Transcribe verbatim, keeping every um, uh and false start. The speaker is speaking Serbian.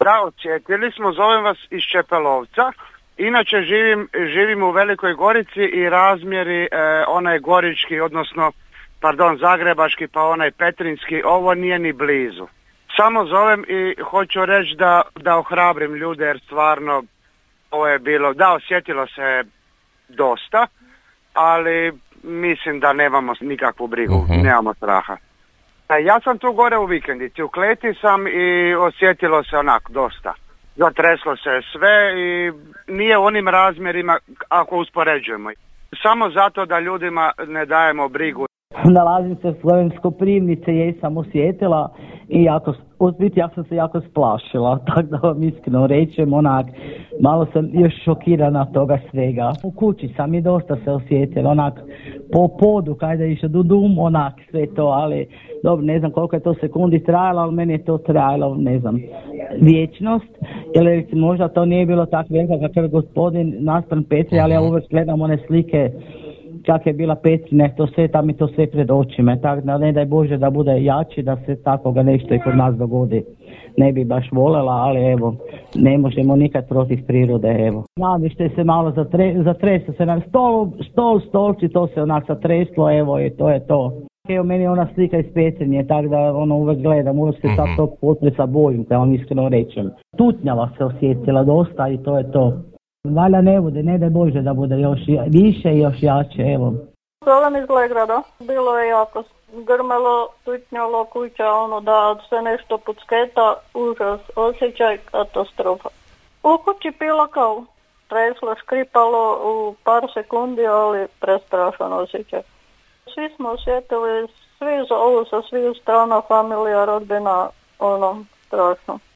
Da, osjetili smo, zovem vas iz Čepelovca. Inače živim, živim u Velikoj Gorici i razmjeri e, onaj gorički, odnosno, pardon, zagrebački pa onaj petrinjski, ovo nije ni blizu. Samo zovem i hoću reći da, da ohrabrim ljude jer stvarno ovo je bilo, da, osjetilo se dosta, ali mislim da nemamo nikakvu brigu, uh-huh. nemamo straha. Ja sam tu gore u vikendici, u Kleti sam i osjetilo se onako dosta. Zatreslo se sve i nije u onim razmjerima ako uspoređujemo. Samo zato da ljudima ne dajemo brigu. Nalazim se u Slovenskoj Primnici, jej sam osjetila i jako, biti ja sam se jako splašila, tako da vam iskreno rečem, onak, malo sam još šokirana toga svega. U kući sam i dosta se osjetila, onak, po podu, kada je išao do dum, onak, sve to, ali dobro, ne znam koliko je to sekundi trajalo, ali meni je to trajalo, ne znam, vječnost, jer recimo možda to nije bilo tako velika kakav je gospodin naspram Petri, ali ja uvijek gledam one slike kak je bila Petrine, to sve, tam mi to sve pred očima, tako da ne daj Bože da bude jači, da se takoga nešto i kod nas dogodi. Ne bi baš voljela, ali evo, ne možemo nikad protiv prirode, evo. Navište se malo zatre, zatreslo se na stol, stol, stolci, to se onak zatreslo, evo i to je to. Evo meni je ona slika iz Petrinje, tako da ono uvek gledam, uvek se sad tog potresa bojim, da vam iskreno rečem. Tutnjava se osjetila dosta i to je to. Valja ne bude, ne daj Bože da bude još više i još jače, evo. Zovem iz Legrada. Bilo je jako grmelo, tutnjalo kuća, ono da se nešto pucketa, užas, osjećaj, katastrofa. U kući pila kao treslo, škripalo u par sekundi, ali prestrašan osjećaj. Svi smo osjetili, svi zovu sa svih strana, familija, rodbina, ono, strašno.